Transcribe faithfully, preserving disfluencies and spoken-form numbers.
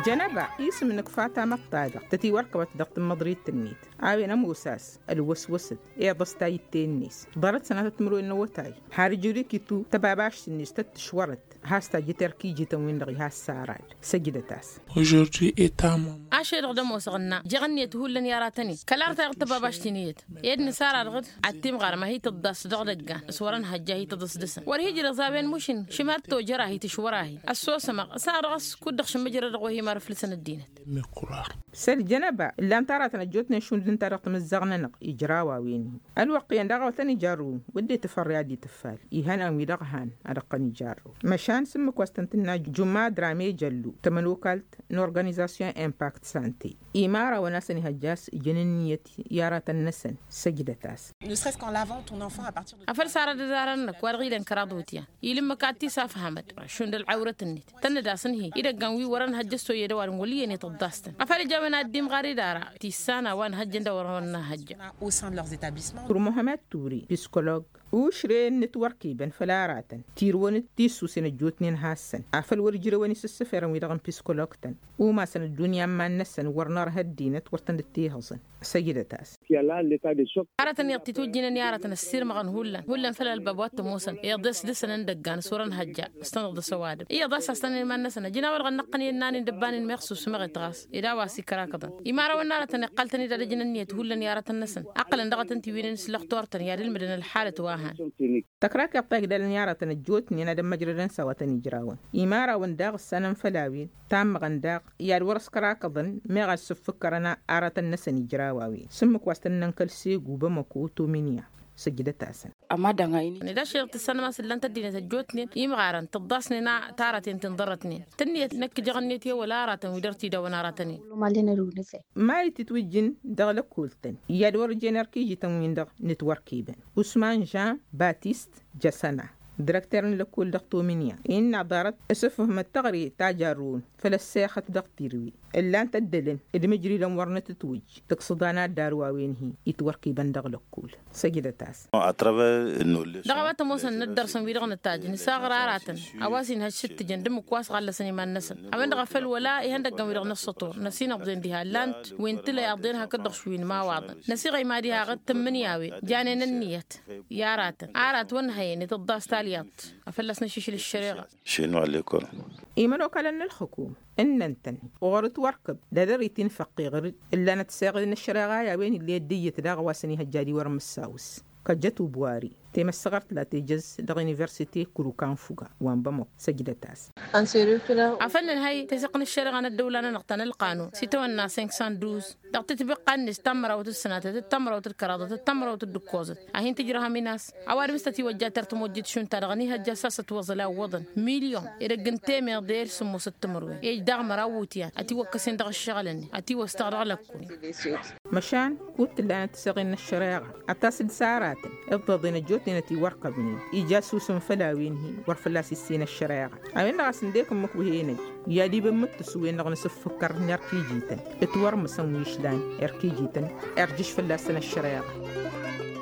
Jănăba isǝm n-ǝkfa tamăḍt-ta-dăɣ tătiwărkăbăt dăɣ-tǝmmăḍrit-net a-wen ămoos a-s ălwăswăsăt iḍăs tayǝtte-net. Ḍarăt sănatăt timǝrwen n-awătay har ijrǝk-itu tăbabašt-net tăt-tǝšwărăt has-tajjǝt erk ijităn-win-dăɣ ihas sarad. Săjdăt-as. Ašăl-dăɣ d-ămoosăɣ ǝnna jeɣ ǝnniyăt hullan i-aratăn-in kăla arăt a iɣ tăbabašt-in iyyăt ed nǝsara dăɣ-dd ad-timɣarăm a hi-tǝḍḍas dăɣ-idăggan s-wărăn hăjja a hi-tăḍăsdăsăn wăr hi-ijrăẓ a-wen mušin šimad tojăr a hi-tǝšwăr a hi-ăssosăm-aɣ s-a dăɣ-s kud-dăɣ šǝmmǝjrăd dăɣ-wehim ar ǝflǝsăn ăddinăt. Săl jănăba ǝllan-t aratăn ăjjootnen šund ǝnta dăɣ-tamǝzzaɣ-nănăɣ ijraw a-wen-hi ălwăqq iyyăn daɣ a wătăn ijarrǝwăn wădden tǝfărre ad-itǝffal ihăn a-wi-dăɣ han ad-ăqqăn ijarrǝw. Măšan s-ǝmmǝk wa s-tăn-tǝnna jumma adrame jăllu tămănokalt n-organizasyon impact sante imarawăn a-s ănihăjja a-s ǝjăn ǝnniyăt i-aratăn-năsăn. Săjdăt-as. Afăl s-arăt d-arăt-năk wa dăɣ-ilăn kăraḍ wǝtyan ilǝmmǝk ad-t-isafhămăd šund ălɣawrăt-net tănnăd-asăn-hi idăggan wi wărăn hăjjăs toyyăd ăwadǝm wăl' iyyăn i-tăḍḍas-tăn afăl ija a-wen ad-dd-imɣar idara tissan a-wa n-hăjjăn d-a wărăn hăjjăn. Turmuhămăt ture piskolog ušre n-inǝtwărkibăn făll-aratăn tirǝwăn d-tissusen ăjjootnen hassăn afăl wăr-ǝjrewăn isǝssǝferăn-wi-dăɣ n-piskolog-tăn umasăn ăddunya n-iman-năsăn wăr nărha ăddinăt wăr tăn-dd-tihǝẓăn. Săjdăt-as. Aratăn iyyăḍ titwǝjjǝynen i-aratăn ăssirmăɣăn hullan hullan făll-ălbab wa t-ămoosăn iḍes dăɣ-săn n-idăggan s-wărăn hăjja s-tăn-iḍǝs ăwadǝm iyyăḍ a-s a-s tăn-iman-năsăn ăjnawăl ɣănnăɣ-tăn i-ănnan-in dăbban-in meɣ susǝmăɣ-it ɣas ed a-wa s-ikrakăḍăn imarawăn n-aratăn iqqăl-tăn-dd ad-ǝjǝn ǝnniyăt hullan i-aratăn-năsăn ăqqălăn dăɣ-tăn-t-iwǝynen s-lăxtor-tăn i-ad-ǝlmǝdăn ălḥalăt wa han. Tăkrak iḍt a igdalăn i-aratăn ăjjootnen ad-ămmăjrădăn s-a-wa tăn-ijrawăn imarawăn daɣ ǝssanăn făll-a-wen tammăɣăn daɣ i-ad-wăr-ăskărakăḍăn meɣ ad-sǝffǝkkărăn aratăn-năsăn ijraw a-wen s-ǝmmǝk wa s-tăn-nănkăl segu bamăko tomǝnǝya. Săjdăt-asăn. Ămada n-a-in. Ned ašăl tǝssanăm a-s ǝllan-t ăddinăt ăjjootnen imɣarăn tǝḍḍasnen a taraten ti n-ḍarrătnen tǝnniyăt năkk jăɣ-net i-wăla aratăn wi dăr-t idawăn aratăn-in. Mali titwǝjjǝn dăɣ-lăkkol-tăn i-ad-wăr-ǝjjen erk ijităn-win-dăɣ nǝtwărkibăn usman jean batist jăsăna dăr-ăkter n-lăkkol dăɣ-tomǝnǝya innă ḍarăt s-ǝfhǝmăt teɣăre ta jarrǝwăn făll-ăssexăt dăɣ-tirǝwen ǝllan-t ăddălăn d-imǝjridăn wăr nǝtǝtwǝj tǝksǝḍan ad-darǝw a-wen-hi itwărkibăn dăɣ-lăkkol. Săjdăt-as. Dăɣ-a-wa t-ămoosăn n-ăddărsăn wi-dăɣ nǝtajj nǝsaɣăr aratăn a-wa s-inhăj s-ǝttǝjăn d-ǝmmǝk wa s-ɣallăsăn iman-năsăn a-wen-dăɣ a făl wăla ihăndăggăn wi-dăɣ n-ăssător năsinăḍḍen diha ǝllan-t wi n-tǝla iḍḍen hakd-dăɣ šwi n-imawaḍăn năsiɣăy mad-iha aɣǝd tǝmmǝnǝya a-wen janen ǝnniyăt i-aratăn arat wăr nǝhăyăn itǝḍḍas talyăḍt a fălla-s nǝššǝšǝl ăššăreɣa. Šinu alekol. Imănokalăn n-ǝlxǝkum ǝnnăn-tăn ɣur-ǝtwărkǝb d-adăr-i tinfăqqe ɣǝr-dd ǝllanăt seɣǝd n-ăššăreɣa i-a-wen ill'-e dd-iyyăt daɣ a-wa s-ănihăjja ad-iwărăn mǝssawǝs kăjjăt ubwari temăssăɣărt la tejăz dăɣ-universite kărukan fuga wa n-bamăko. Săjdăt-as. Afăl nǝnhăy tesăɣt n-ăššăreɣa n-ăddăwla-nănăɣ ta n-ălqanun s-itawănna senk san duz dăɣ-titbiqqa-net ta n-mărawăt d-sănatăt d-ta n-mărawăt d-kăraḍăt d-ta n-mărawăt d-ǝkkoẓăt a hin-tǝjrăhăm inas. Ăwadǝm s-tătiwăjja tăr-tămojjit šund ta dăɣ-a n-ihăjja s-asăt wăẓăl a ǝwwăḍăn milyon edăgg n-temeḍe d-sǝmmosăt timǝrwen ej daɣ măraw iwǝtyan ătiwăkkăsen dăɣ-ǝššăɣǝl-net ătiwăs-tăɣ dăɣ-lăkkul. Măšan kud t-ǝllanăt tiseɣen n-ăššăreɣa ad-tasǝd s-aratăn iḍeḍen ăjjootnen ătiwărkăbnen ija ăsusǝm făll-a-wen-hi wăr fălla-s issin ăššăreɣa. A-wen-dăɣ a-s ǝndek ǝmmǝk wi henăj i-ad-ibǝmmǝt tǝswen-dăɣ n-asǝffǝkkăr n-erk ijităn ǝtwărmǝsăn wi ǝšlan erk ijităn irjǝš fălla-săn ăššăreɣa.